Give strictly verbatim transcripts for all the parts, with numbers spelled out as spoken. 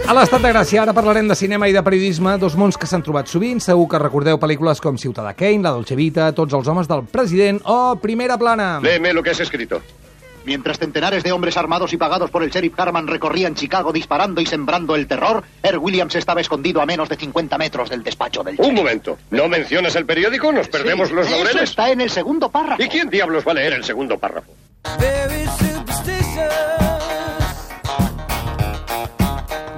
A l'Estat de Gràcia ara parlarem de cinema i de periodisme, dos mons que s'han trobat sovint. Segur que recordeu pel·lícules com Ciutadà Kane, La Dolce Vita, Tots els homes del president o Primera plana. Léeme lo que has escrito. Mientras centenares de hombres armados y pagados por el sheriff Harman recorrían Chicago disparando y sembrando el terror, Earl Williams estaba escondido a menos de cincuenta metros del despacho del sheriff. Un momento. ¿No mencionas el periódico? ¿Nos perdemos Sí, los laureles? Eso está en el segundo párrafo. ¿Y quién diablos va a leer el segundo párrafo? Very superstitious.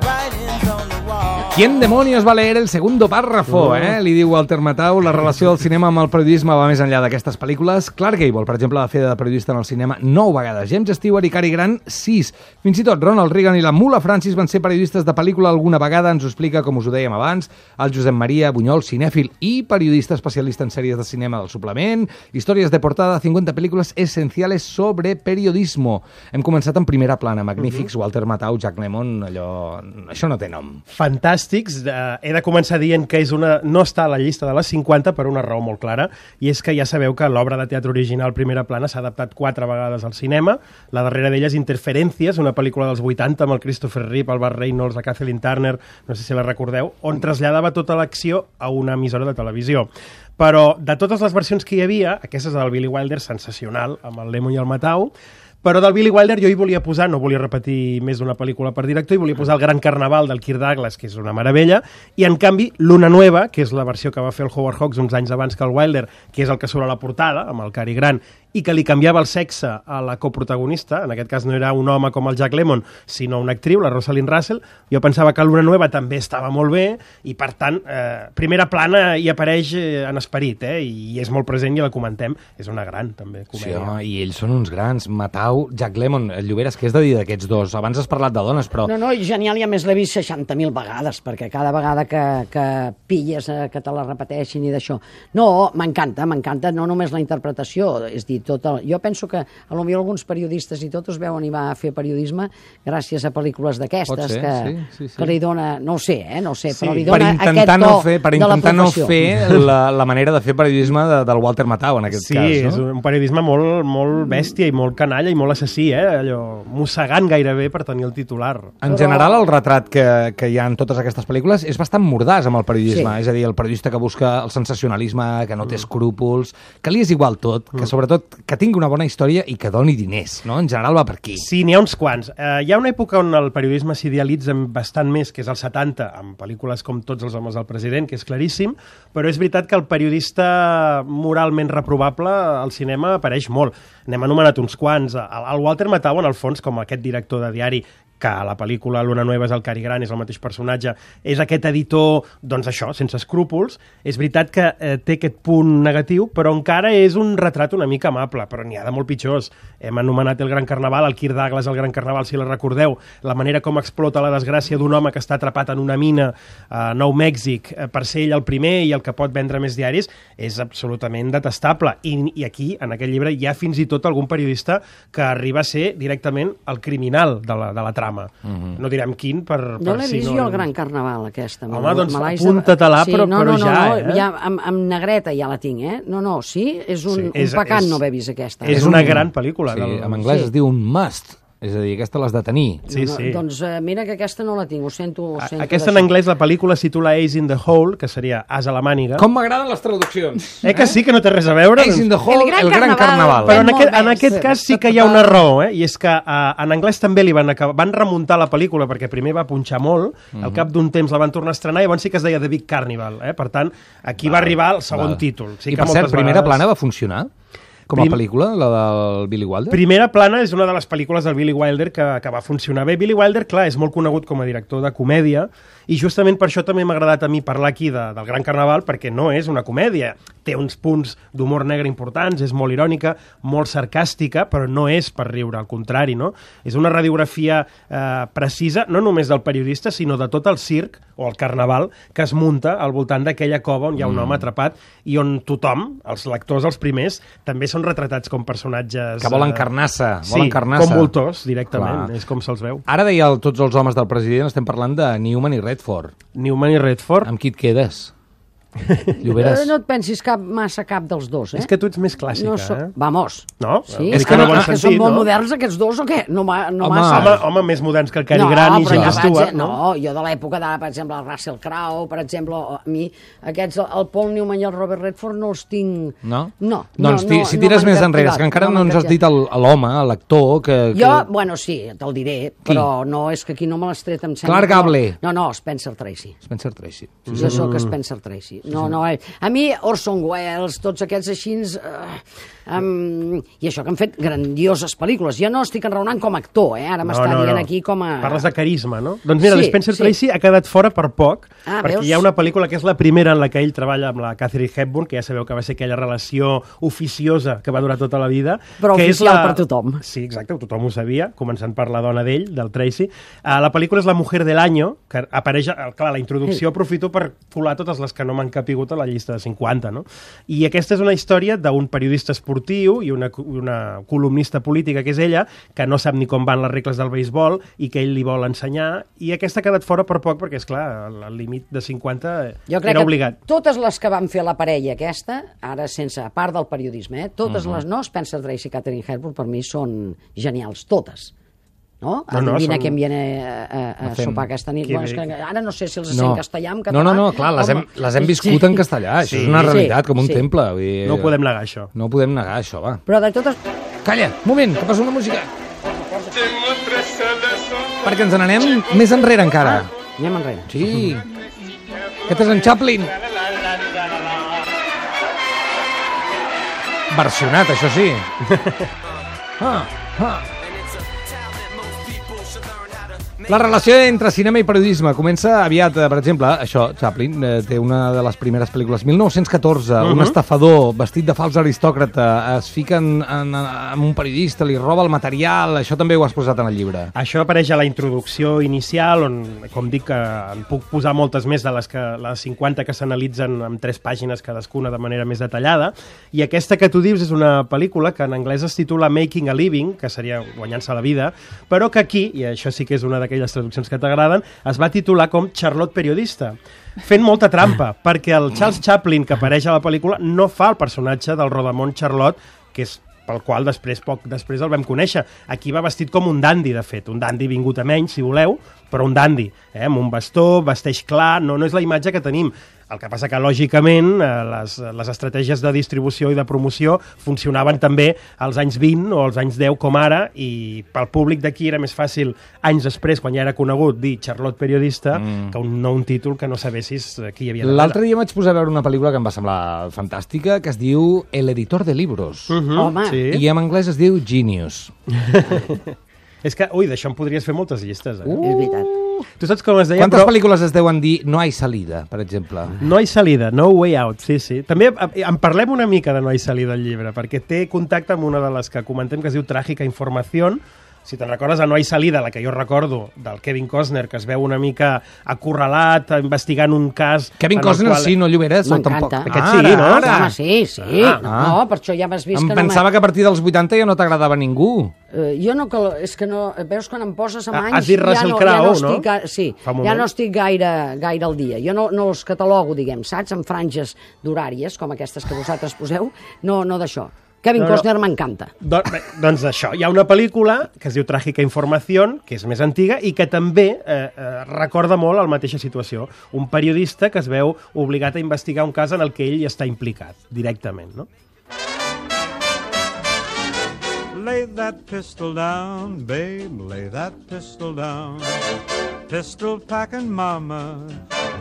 Writings on the wall. ¿Quién demonios va a leer el segundo párrafo? Eh? Li diu Walter Matthau. La relació del cinema amb el periodisme va més enllà d'aquestes pel·lícules. Clark Gable, per exemple, va fer de periodista en el cinema nou vegades. James Stewart i Cary Grant, sis. Fins i tot Ronald Reagan i la Mula Francis van ser periodistes de pel·lícula alguna vegada. Ens ho explica, com us ho dèiem abans, el Josep Maria Bunyol, cinèfil i periodista especialista en sèries de cinema del suplement. Històries de portada, cincuenta pel·lícules essenciales sobre periodismo. Hem començat en Primera plana. Magnífics, Walter Matthau, Jack Lemmon, allò... Això no té nom. Fantàstics. Uh, he de començar dient que és una, no està a la llista de les cinquanta per una raó molt clara, i és que ja sabeu que l'obra de teatre original Primera plana s'ha adaptat quatre vegades al cinema. La darrera d'elles, Interferències, una pel·lícula dels vuitanta amb el Christopher Reeve, el Burt Reynolds, la Kathleen Turner, no sé si la recordeu, on traslladava tota l'acció a una emissora de televisió. Però de totes les versions que hi havia, aquesta és del Billy Wilder, sensacional, amb el Lemmon i el Matthau, però del Billy Wilder jo hi volia posar, no volia repetir més d'una pel·lícula per director, i volia posar el Gran Carnaval del Kirk Douglas, que és una meravella, i en canvi Luna Nueva, que és la versió que va fer el Howard Hawks uns anys abans que el Wilder, que és el que surt a la portada, amb el Cary Grant, i que li canviava el sexe a la coprotagonista, en aquest cas no era un home com el Jack Lemmon, sinó una actriu, la Rosalind Russell. Jo pensava que Luna Nueva també estava molt bé, i per tant, eh, Primera plana hi apareix eh, en esperit, eh, i és molt present i la comentem. És una gran, també, comèdia. Sí, home, i ells són uns grans. Matthau, Jack Lemmon, el Lloberes, què és de dir d'aquests dos? Abans has parlat de dones, però... No, no, genial, i a més l'he vist seixanta mil vegades, perquè cada vegada que, que pilles eh, que te la repeteixin i d'això. No, m'encanta, m'encanta, no només la interpretació, és dir, tot el... Jo penso que a lo millor alguns periodistes i tot es veuen i va a fer periodisme gràcies a pel·lícules d'aquestes que, sí, sí, sí. que li dona, no ho sé, eh, no ho sé, Sí, però li Per dona intentar, aquest no to fer, per de la intentar no professió. fer la, la manera de fer periodisme de, del Walter Matthau, en aquest Sí, cas, és no? un periodisme molt, molt bèstia i molt canalla i molt assassí, eh? Allò, mossegant gairebé per tenir el titular. En general, el retrat que, que hi ha en totes aquestes pel·lícules és bastant mordàs amb el periodisme. Sí. És a dir, el periodista que busca el sensacionalisme, que no té escrúpols, que li és igual tot, que sobretot que tingui una bona història i que doni diners, no? En general va per aquí. Sí, n'hi ha uns quants. Eh, hi ha una època on el periodisme s'idealitza bastant més, que és als setanta, amb pel·lícules com Tots els homes del president, que és claríssim, però és veritat que el periodista moralment reprovable al cinema apareix molt. N'hem anomenat uns quants. El, el Walter Matthau, en el fons, com aquest director de diari, que a la pel·lícula Luna Nueva és el Cary Grant, és el mateix personatge, és aquest editor, doncs això, sense escrúpols. És veritat que eh, té aquest punt negatiu, però encara és un retrat una mica amable, però n'hi ha de molt pitjors. Hem anomenat el Gran Carnaval, el Kirk Douglas, el Gran Carnaval, si la recordeu, la manera com explota la desgràcia d'un home que està atrapat en una mina a Nou Mèxic eh, per ser ell el primer i el que pot vendre més diaris, és absolutament detestable. I, i aquí, en aquest llibre, hi ha fins i tot algun periodista que arriba a ser directament el criminal de la, de la trama. Mm-hmm. No direm quin, per, per No l'he si vist no... jo, el Gran Carnaval, aquesta. Home, Me- doncs me l'haig de- apunta-te-la, però- no, però no, no, ja, no, eh? ja amb, amb negreta ja la tinc, eh? No, no, sí, és un, Sí, un és- pecat és- no haver vist aquesta. És És una un- gran pel·lícula. Sí, del- en anglès Sí. es diu un must. És a dir, aquesta l'has de tenir. Sí, no, sí. Doncs eh, mira que aquesta no la tinc, ho sento. Ho sento Aquesta en d'això. anglès, la pel·lícula es titula Ace in the Hole, que seria As a la màniga. Com m'agraden les traduccions. Eh que sí, que no té res a veure? Ace in the Hole, El Gran el Gran Carnaval. Carnaval. Però en Molt aquest, en bé, aquest sí. cas sí que hi ha una raó, eh? I és que uh, en anglès també li van acabar, van remuntar la pel·lícula perquè primer va punxar molt, al cap d'un temps la van tornar a estrenar i llavors sí que es deia The Big Carnival, eh? Per tant, aquí va arribar el segon Val. títol. Sí I que per cert, moltes Primera vegades- plana va funcionar? Com a Prim- pel·lícula, la del Billy Wilder? Primera plana és una de les pel·lícules del Billy Wilder que, que va funcionar bé. Billy Wilder, clar, és molt conegut com a director de comèdia i justament per això també m'ha agradat a mi parlar aquí de, del Gran Carnaval, perquè no és una comèdia. Té uns punts d'humor negre importants, és molt irònica, molt sarcàstica, però no és per riure, al contrari, no? És una radiografia eh, precisa, no només del periodista, sinó de tot el circ o el carnaval que es munta al voltant d'aquella cova on hi ha un home atrapat i on tothom, els lectors, els primers, també són retratats com personatges... Que volen eh, carnassa, Sí, volen carnassa. com voltors, directament, Clar. és com se'ls veu. Ara deia el, tots els homes del president, estem parlant de Newman i Redford. Newman i Redford, Amb qui et quedes? Lloberes. Eh, no et pensis cap, massa cap dels dos, eh? És que tu ets més clàssica, no so... eh? Vamos. No? Sí, És és que que, no no, bon que sentit, són molt no? moderns aquests dos o què? No, ma, no Home. massa. Home, home, més moderns que el Cary no, Grant i però James jo, Stewart, no? no? No, jo de l'època d'ara, per exemple, el Russell Crowe, per exemple, a mi, aquests, el Paul Newman i el Robert Redford no els tinc... No? No. Doncs no, ti- no, si no tires m'han més enrere, és captivat, que encara no m'han ens has dit captivat. el- l'actor, l'actor, que... Jo, que... bueno, sí, te'l diré, però no és que aquí no me l'has tret, em sembla. Clark que no. Gable. No, no, Spencer Tracy. Spencer Tracy. Sí, jo sóc Spencer Tracy. No, no, eh. A mi, Orson Welles, tots aquests així... Uh, um, I això que han fet grandioses pel·lícules. Jo no estic enraonant com a actor, eh? Ara m'està dient aquí com a... Parles de carisma, no? Doncs mira, Sí, sí, Spencer sí. Tracy ha quedat fora per poc, Ah, perquè veus? hi ha una pel·lícula que és la primera en la que ell treballa amb la Katharine Hepburn, que ja sabeu que va ser aquella relació oficiosa que va durar tota la vida. Però que oficial és la... per tothom. Sí, exacte, tothom ho sabia, començant per la dona d'ell, del Tracy. Uh, la pel·lícula és La mujer del año, que apareix, uh, clar, la introducció aprofito per colar totes les que no m'han capigut a la llista de cinquanta, no? I aquesta és una història d'un periodista esportiu i una, una columnista política, que és ella, que no sap ni com van les regles del beisbol i que ell li vol ensenyar, i aquesta ha quedat fora per poc perquè, és clar, el, el límit de cinquanta Jo crec era que obligat. totes les que van fer la parella aquesta, ara sense, a part del periodisme, eh, totes Mhm. les, no, Spencer Tracy i Katharine Hepburn, per mi són genials, totes. No? No, no, Adivina són- què em viene a, a, a fem- sopar aquesta nit. Que Bueno, és bé. que ara no sé si els No. sé en castellà, en No, català... no, no, clar, les hem, Home, les hem viscut sí. en castellà. Això Sí. és una Sí, realitat, com un sí. temple. Vull dir, No ho podem negar, això. No ho podem negar, això, va. Però de totes... Calla, un moment, que poso una música. Perquè ens n'anem més enrere encara. Anem enrere. Sí. Aquest és en Chaplin. Versionat, això sí. Ah, ah. La relació entre cinema i periodisme comença aviat, eh, per exemple, això, Chaplin eh, té una de les primeres pel·lícules, mil nou-cents catorze, uh -huh. un estafador vestit de fals aristòcrata es fica en, en, en un periodista, li roba el material, això també ho has posat en el llibre. Això apareix a la introducció inicial, on, com dic, que en puc posar moltes més de les, que, les cinquanta que s'analitzen en tres pàgines cadascuna de manera més detallada, i aquesta que tu dius és una pel·lícula que en anglès es titula Making a Living, que seria guanyant-se la vida, però que aquí, i això sí que és una d'aquelles traduccions que t'agraden, es va titular com Charlotte Periodista, fent molta trampa, perquè el Charles Chaplin que apareix a la pel·lícula no fa el personatge del Rodamont Charlotte, que és pel qual després, poc després el vam conèixer. Aquí va vestit com un dandi, de fet, un dandi vingut a menys, si voleu, però un dandi, eh? Amb un bastó, vesteix clar, no, no és la imatge que tenim. El que passa que, lògicament, eh, les, les estratègies de distribució i de promoció funcionaven també als anys vint o als anys deu com ara, i pel públic d'aquí era més fàcil, anys després, quan ja era conegut, dir Charlotte Periodista, mm. que un, no un títol que no sabessis qui hi havia darrere. L'altre dia vaig posar a veure una pel·lícula que em va semblar fantàstica, que es diu El editor de libros. Uh -huh, Home. sí. I en anglès es diu Genius. És que, ui, d'això en podries fer moltes llistes, eh? És veritat. Tu saps com es deia? Quantes però... pel·lícules es deuen dir No hay salida, per exemple? No hi salida, no way out, sí, sí. També eh, en parlem una mica de No hi salida al llibre, perquè té contacte amb una de les que comentem que es diu Tràgica Informació. Si te'n recordes, a No hi salida, la que jo recordo, del Kevin Costner, que es veu una mica acorralat, investigant un cas... Kevin en el Costner qual... sí, no Lloberes? o tampoc? M'encanta. Aquest sí, no? Ara. Home, sí, sí. Ah. No, per això ja m'has vist Em que pensava no... que a partir dels vuitanta ja no t'agradava ningú. Uh, jo no, que, és que no... Veus, quan em poses amb Ah, anys... has dit Russell ja no, Crowe, ja no? no? Estic, ga- sí, Fa un ja moment. no estic gaire, gaire al dia. Jo no, no els catalogo, diguem, saps? En franges d'horàries, com aquestes que vosaltres poseu. No, no d'això. Kevin No, no. Costner m'encanta. Do, bé, doncs això, hi ha una pel·lícula que es diu Tràgica Informació, que és més antiga i que també eh, eh, recorda molt la mateixa situació. Un periodista que es veu obligat a investigar un cas en el que ell hi està implicat, directament, no? Lay that pistol down, babe, lay that pistol down. Pistol packing mama,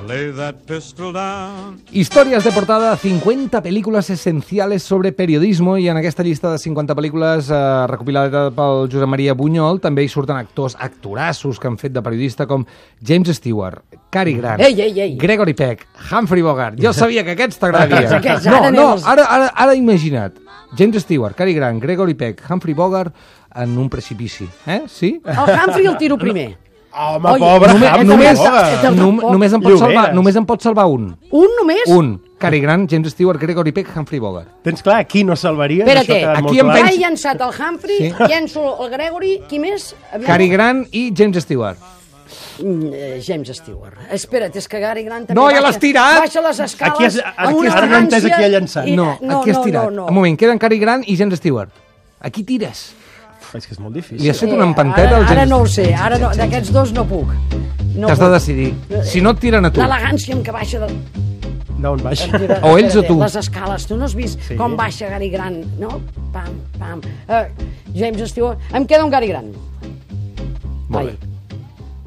lay that pistol down. Historias de portada, cincuenta películas esenciales sobre periodismo, i en aquesta llista de cinquanta pel·lícules eh, recopilada pel Josep Maria Bunyol també hi surten actors, actorassos que han fet de periodista com James Stewart, Cary Grant, Ei, ei, ei. Gregory Peck, Humphrey Bogart. Jo sabia que aquests t'agradaria. Aquests, No, ara no, anem als- ara, ara, ara imagina't. James Stewart, Cary Grant, Gregory Peck, Humphrey Bogart en un precipici. Eh? Sí? El Humphrey el tiro primer. Home, Oi, pobre, només- Humphrey només, Bogart. Tampoc. nom, només, en pot Lloberes. salvar, només en pot salvar un. Un només? Un. Cary Grant, James Stewart, Gregory Peck, Humphrey Bogart. Tens clar, aquí no salvaries? Espera't, Això ha quedat aquí molt em clar. Ja penso- he llançat el Humphrey, Sí. llenço el Gregory, qui més? Aviam. Cary Grant i James Stewart. Mm, James Stewart. Espera't, és que Gary Grant també No, ja baixa- l'has tirat! Baixa les escales Aquí has- amb aquí una has- ara no he entès elegància qui ha llançat. i- No, aquí has tirat. No, no, Un moment, queden Cary Grant i James Stewart. Aquí tires. És que és molt difícil. Li has fet Eh, una empanteta ara, al ara James no ho sé, ara no, d'aquests dos no puc. No T'has de puc. decidir. Si no et tiren a tu. L'elegància amb què baixa de... D'on baixa? Mira, O ells o espera't, tu. Les escales, tu no has vist Sí. com baixa Gary Grant, no? Pam, pam. Uh, James Stewart... Em queda un Gary Grant. Molt Vai. bé.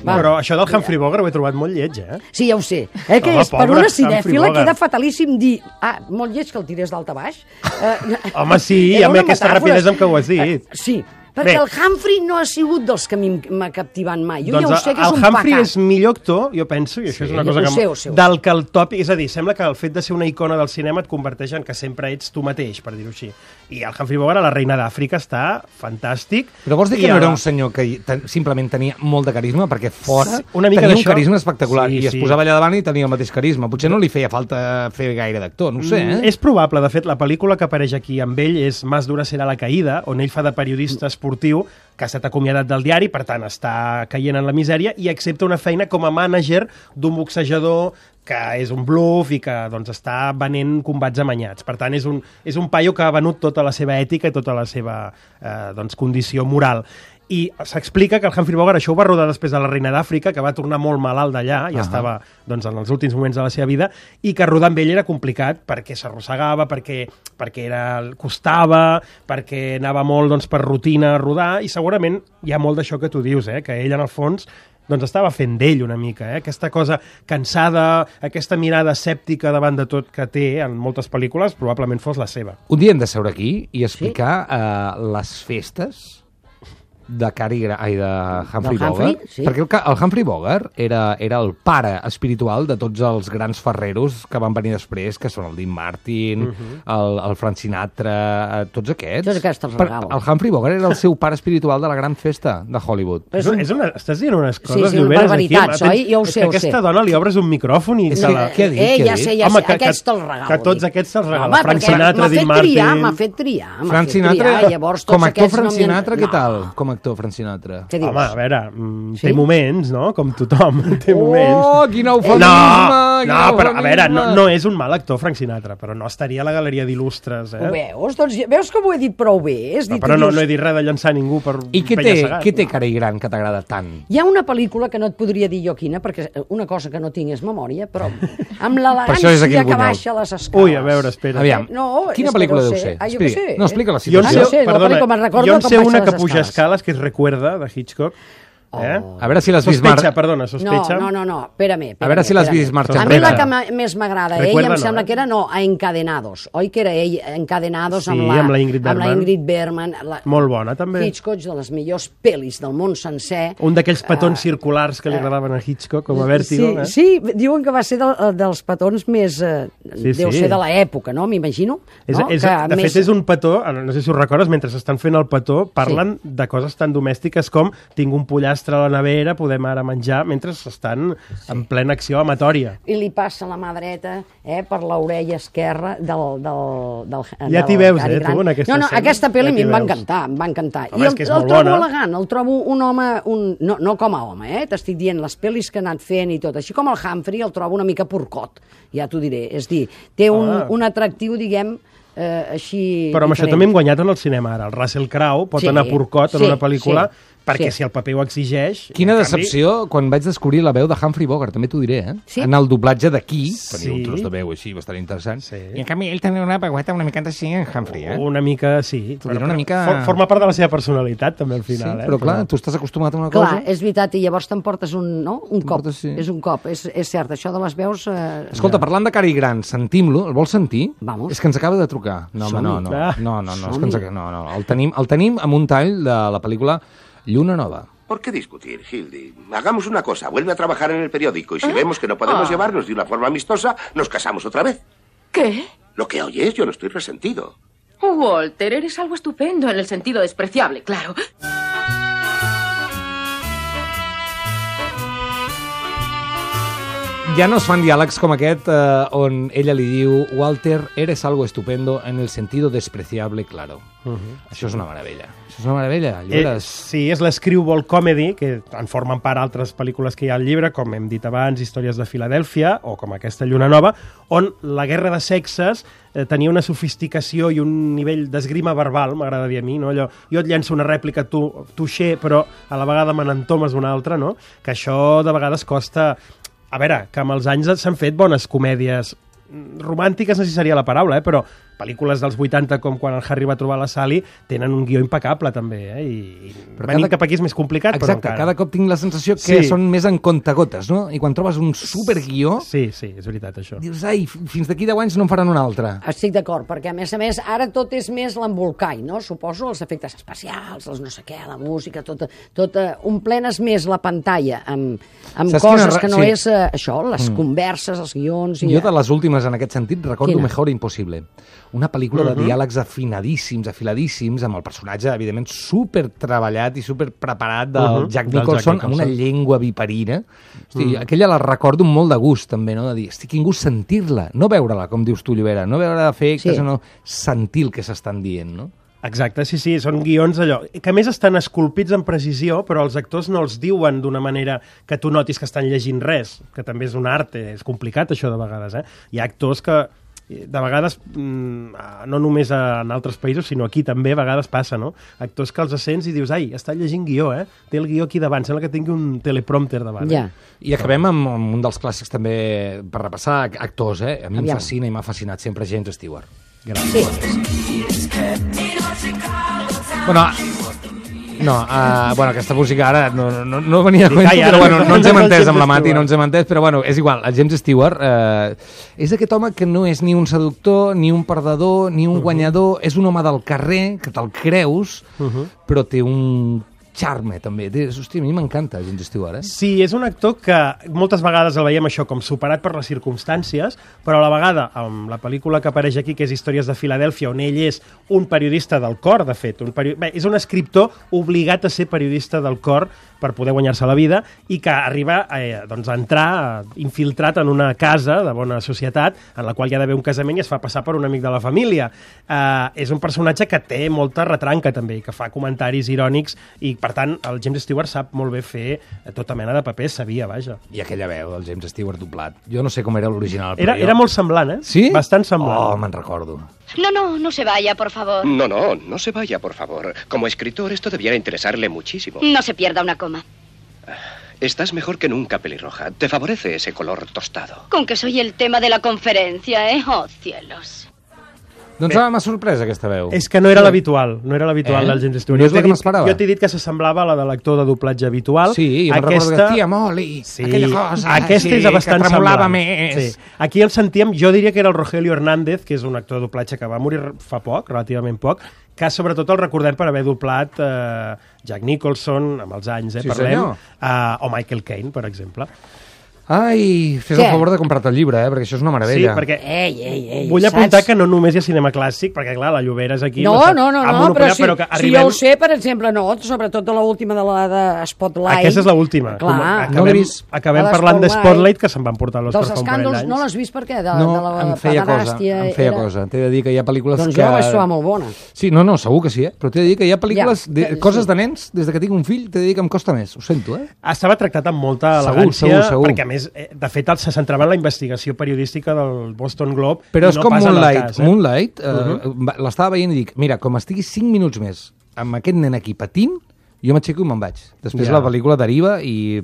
Va. Però això del Humphrey Bogart ho he trobat molt lleig, eh? Sí, ja ho sé. Eh, que Home, és, per pobre una Humphrey cinèfila Bogart. queda fatalíssim dir... Ah, molt lleig que el tirés d'alt a baix. Eh, Home, sí, era amb una aquesta metàfora. rapidesa amb què ho has dit. Eh, sí, perquè Bé. el Humphrey no ha sigut dels que a mi m'ha captivant mai. Jo Doncs ja ho sé que és el un Humphrey pecat. és millor actor, jo penso, i això és una ho cosa que... sé, ho sé, ho sé. del que el tòpic... És a dir, sembla que el fet de ser una icona del cinema et converteix en que sempre ets tu mateix, per dir-ho així. I el Humphrey Bogart a La reina d'Àfrica està fantàstic. Però vols dir I que no a era la- un senyor que hi- ten, simplement tenia molt de carisma? Perquè fora Sí, una mica tenia un d'això. carisma espectacular Sí, i es sí. posava allà davant i tenia el mateix carisma. Potser no li feia falta fer gaire d'actor, no ho sé, eh? Mm, És probable, de fet, la pel·lícula que apareix aquí amb ell és Más dura serà la caïda, on ell fa de periodista esportiu que ha estat acomiadat del diari, per tant està caient en la misèria i accepta una feina com a mànager d'un boxejador que és un bluff i que doncs, està venent combats amanyats. Per tant, és un, és un paio que ha venut tota la seva ètica i tota la seva eh, doncs, condició moral. I s'explica que el Humphrey Bogart això ho va rodar després de La reina d'Àfrica, que va tornar molt malalt d'allà, ja Ahà. estava doncs, en els últims moments de la seva vida, i que rodar amb ell era complicat perquè s'arrossegava, perquè, perquè era, costava, perquè anava molt doncs, per rutina a rodar, i segurament hi ha molt d'això que tu dius, eh? Que ell en el fons doncs estava fent d'ell una mica, eh? Aquesta cosa cansada, aquesta mirada escèptica davant de tot que té en moltes pel·lícules, probablement fos la seva. Un dia hem de seure aquí i explicar eh, les festes de Cary Grant, ai, de Humphrey Del Humphrey, Bogart, sí. perquè el, ca- el Humphrey Bogart era, era el pare espiritual de tots els grans ferreros que van venir després, que són el Dean Martin, el, el Frank Sinatra, eh, tots aquests. Tots aquests els Per- regalo. El Humphrey Bogart era el seu pare espiritual de la gran festa de Hollywood. Però És, una, és una, estàs dient unes coses sí, lloberes barbaritats, aquí. oi? Jo ho És sé, que ho sé. aquesta dona li obres un micròfon i... És te que- la... què ha dit? Eh, Què ha ja dit? sé, ja Home, sé, que- aquests que- te'ls regalo. que tots dic. aquests te'ls regala. Home, Frank perquè Sinatra, m'ha fet Dean Martin. triar, m'ha fet triar, m'ha Frank fet Sinatra, triar, llavors tots com a actor, aquests Frank no m'hi han- Sinatra, què No. tal? Com a actor, Frank Sinatra. Què dius? Home, a veure, mm, Sí? té moments, no? Com tothom, té moments. Oh, quin eufemisme! No, quin no, però a veure, no, eufemisme! no és un mal actor, Frank Sinatra, però no estaria a la galeria d'il·lustres, Ho eh? veus? Doncs veus que ho he dit prou bé? Has dit, Però no, dius, no he dit res de llançar ningú per I què té, penya-segat. què té Cary Grant que t'agrada tant? Hi ha una pel·lícula que no et podria dir jo quina, perquè una cosa que no tinc és memòria, però amb Per això és aquí l'elegància el que Bunyol. baixa les escales. Ui, a veure, espera. Aviam, No, quina és que pel·lícula no deu sé. ser? Ah, jo què Explica. sé. No, explica la Jo en situació. Ah, sé, no sé, la perdona, pel·lícula me'n recordo jo en com sé baixa una les que puja escales. escales, que és Recuerda, de Hitchcock. Eh? A veure si l'has vist Sospecha, mar... perdona, No, sospecha. no, no, no, espera-me. A veure si l'has vist marxa A mi la enrere. que m'ha- més m'agrada, ell Recuerda em no, sembla eh? que era, no, a Encadenados. Oi que era ell, Encadenados Sí, amb la, amb la Ingrid amb la Bergman. Ingrid Bergman. La, Molt bona, també. Hitchcock, de les millors pel·lis del món sencer. Un d'aquells petons circulars que li agradaven a Hitchcock, com a Vértigo. Sí, eh? sí, diuen que va ser del, dels petons més... Eh, Sí, deu sí. ser de l'època, no? M'imagino. És, no? és, Que de més- fet, és un petó, no sé si ho recordes, mentre s'estan fent el petó, parlen sí. de coses tan domèstiques com tinc un pollastre a la nevera, podem ara menjar, mentre estan sí. en plena acció amatòria. I li passa la mà dreta eh, per l'orella esquerra del... del, del Ja del t'hi veus, Cary eh, tu, Grant. en aquesta No, no, escena. aquesta pel·li Ja a mi t'hi em va veus. encantar, em va encantar. Home, I és el, que és el molt trobo bona. elegant, el trobo un home, un, no, no com a home, eh, t'estic dient, les pel·lis que ha anat fent i tot, així com el Humphrey el trobo una mica porcot, ja t'ho diré, és dir, té un, Ah. un atractiu, diguem, eh, així... Però amb això diferent. també hem guanyat en el cinema ara. El Russell Crowe pot Sí, anar porcot en sí, una pel·lícula sí, perquè sí. si el paper ho exigeix... Quina en decepció quan vaig descobrir la veu de Humphrey Bogart, també t'ho diré, eh? Sí? En el doblatge d'aquí, Sí. tenia un tros de veu així bastant interessant, Sí. i en canvi ell tenia una veueta una mica així en Humphrey, eh? Una mica, sí. T'ho diré una mica- For, forma part de la seva personalitat, també, al Sí, final. eh? però clar, tu estàs acostumat a una Clar, cosa... és veritat, i llavors t'emportes un, no? un cop. T'emportes, sí. És un cop, és, és cert, això de les veus... Eh... Escolta, parlant de Cary Grant, sentim-lo, el vols sentir? Vamos. És que ens acaba de trucar. No, home, no, no, Ah. no, no, no, és que ens, ac- no, no, el tenim, el tenim amb un tall de la pel·lícula Lluna Nova. ¿Por qué discutir, Hildy? Hagamos una cosa, vuelve a trabajar en el periódico y si vemos que no podemos llevarnos de una forma amistosa, nos casamos otra vez. ¿Qué? Lo que oyes, yo no estoy resentido. Walter, eres algo estupendo en el sentido despreciable, claro. ja no es fan diàlegs com aquest eh, on ella li diu Walter, eres algo estupendo en el sentido despreciable, claro. Uh -huh. Això és una meravella. Això és una meravella. Eh, sí, és l'escrewball comedy, que en formen part altres pel·lícules que hi ha al llibre, com hem dit abans, Històries de Filadèlfia, o com aquesta Lluna Nova, on la guerra de sexes eh, tenia una sofisticació i un nivell d'esgrima verbal, m'agrada dir a mi, no? Allò, jo et llenço una rèplica, tu touché, però a la vegada me n'entomes una altra, no? Que això de vegades costa... A veure, que amb els anys s'han fet bones comèdies romàntiques, no sé si seria la paraula, eh? Però pel·lícules dels vuitanta, com quan el Harry va trobar la Sally, tenen un guió impecable, també, eh? I, i venir cada... cap aquí és més complicat, Exacte, però encara... cada cop tinc la sensació que sí. són més en contagotes, no? I quan trobes un superguió... Sí, sí, és veritat, això. Dius, ai, fins d'aquí deu anys no en faran un altre. Estic d'acord, perquè a més a més ara tot és més l'embolcall, no? Suposo els efectes especials, els no sé què, la música, tot, tot uh, omplenes més la pantalla amb, amb coses quina... que no sí. és uh, això, les mm. converses, els guions... I... Jo de les últimes en aquest sentit recordo Quina? Mejor Impossible. Una pel·lícula uh -huh. de diàlegs afinadíssims, afiladíssims, amb el personatge, evidentment, super treballat i super preparat del uh -huh. Jack Nicholson, amb una llengua viperina. Hosti, uh -huh. Aquella la recordo amb molt de gust, també, no? De dir, estic quin gust sentir-la, no veure-la, com dius tu, Llobera, no veure efectes, sí. no sentir el que s'estan dient, no? Exacte, sí, sí, són guions allò, que a més estan esculpits amb precisió, però els actors no els diuen d'una manera que tu notis que estan llegint res, que també és un art, és complicat això de vegades, eh? Hi ha actors que de vegades, no només en altres països, sinó aquí també a vegades passa, no? Actors que els sents i dius, ai, està llegint guió, eh? Té el guió aquí davant, sembla que tingui un teleprompter davant. Ja. Eh? I acabem amb, amb un dels clàssics també, per repassar, actors, eh? A mi Aviam. em fascina i m'ha fascinat sempre James Stewart. Gràcies. Sí. Bueno, no, uh, bueno, aquesta música ara no, no, no venia a cuento, però bueno, no ens hem entès amb la Mati, no ens hem entès, però bueno, és igual, el James Stewart eh, és aquest home que no és ni un seductor, ni un perdedor, ni un guanyador, és un home del carrer, que te'l creus, però té un charme, també. Hòstia, a mi m'encanta James Stewart, eh? Sí, és un actor que moltes vegades el veiem això com superat per les circumstàncies, però a la vegada, amb la pel·lícula que apareix aquí, que és Històries de Filadèlfia, on ell és un periodista del cor, de fet, un peri... Bé, és un escriptor obligat a ser periodista del cor per poder guanyar-se la vida i que arriba eh, doncs, a entrar infiltrat en una casa de bona societat en la qual hi ha d'haver un casament i es fa passar per un amic de la família. Eh, és un personatge que té molta retranca també, que fa comentaris irònics i per tant el James Stewart sap molt bé fer tota mena de papers, sabia, vaja. I aquella veu del James Stewart doblat. Jo no sé com era l'original. Era, jo... era molt semblant, eh? Sí? Bastant semblant. Oh, me'n recordo. No, no, no se vaya, por favor. No, no, no se vaya, por favor. Como escritor esto debiera interesarle muchísimo. No se pierda una coma. Estás mejor que nunca, pelirroja. Te favorece ese color tostado. Con que soy el tema de la conferencia, ¿eh? Oh, cielos. Doncs m'ha sorprès aquesta veu. És que no era l'habitual, no era l'habitual eh? del James Stewart. No és el que m'esperava. Jo t'he dit que s'assemblava a la de l'actor de doblatge habitual. Sí, jo aquesta... me'n recordo que tia Molly, sí, aquella cosa, aquesta sí, és bastant que tremolava semblant. més. Sí. Aquí el sentíem, jo diria que era el Rogelio Hernández, que és un actor de doblatge que va morir fa poc, relativament poc, que sobretot el recordem per haver doblat eh, Jack Nicholson, amb els anys, eh, sí, parlem, eh, o Michael Caine, per exemple. Ai, fes el favor de comprar-te el llibre, eh, perquè això és una meravella. Sí, perquè ei, ei, ei, vull apuntar saps? que no només hi ha cinema clàssic, perquè clar, la Llobera és aquí... No, no, no, no, però, si, però que si arribem... jo ho sé, per exemple, no, sobretot de l'última de la de Spotlight. Aquesta és l'última. Clar. Acabem, no vist. acabem parlant de Spotlight, que se'n van portar l'Oscar fa un parell d'anys. Dels escàndols no l'has vist per què? De, no, de la em feia cosa, em feia era... cosa. T'he de dir que hi ha pel·lícules doncs que... Doncs jo la vaig trobar molt bona. Sí, no, no, segur que sí, eh? Però t'he de dir que hi ha pel·lícules, ja, de, que, coses sí. de nens, des de que tinc un fill, t'he de dir que em costa més, ho sento, eh? Estava tractat amb molta segur, elegància, segur, segur. perquè a més, de fet, se centrava en la investigació periodística del Boston Globe. Però és no com Moonlight. Cas, eh? Moonlight, eh, uh -huh. l'estava veient i dic, mira, com estigui cinc minuts més amb aquest nen aquí patint, jo m'aixeco i me'n vaig. Després ja. la pel·lícula deriva i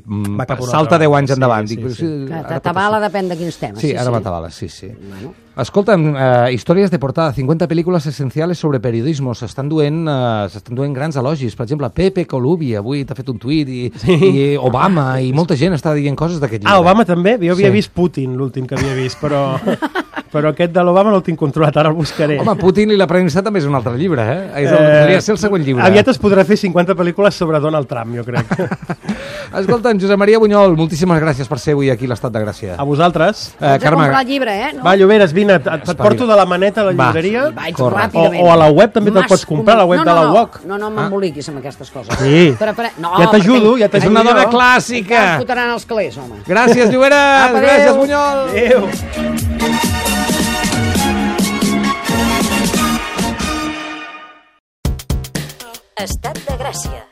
salta deu anys endavant. Sí, Dic, sí, sí. Que t'atabala depèn de quins temes. Sí, sí ara sí. m'atabala, sí, sí. Bueno. Escolta'm, eh, històries de portada, cinquanta pel·lícules essenciales sobre periodismo, s'estan duent, eh, s'estan duent grans elogis. Per exemple, Pepe Colubi avui t'ha fet un tuit i, sí. i Obama, i molta gent està dient coses d'aquest llibre. Ah, Obama també? Jo havia sí. vist Putin, l'últim que havia vist, però... però aquest de l'Obama no el tinc controlat, ara el buscaré. Home, Putin i la premsa també és un altre llibre, eh? És el, Eh, podria ser el següent llibre. Aviat es podrà fer cinquanta pel·lícules sobre Donald Trump, jo crec. Escolta'm, Josep Maria Bunyol, moltíssimes gràcies per ser avui aquí a l'Estat de Gràcia. A vosaltres. Eh, Vaig a comprar el llibre, eh? No? Va, Lloberes, vine, et, et porto de la maneta a la Va. llibreria. Vaig Corre. O, ràpidament. o a la web també te'l Mas pots comprar, a la web no, de la no, U O C. No, no, no m'emboliquis amb aquestes coses. Sí. Però, però, no, Ja t'ajudo, ja És t'ajudo. una dona jo. clàssica. Em fotran els calés, home. Gràcies, Lloberes. Apa, adéu. Gràcies, Bunyol. Adéu. Estat de Gràcia.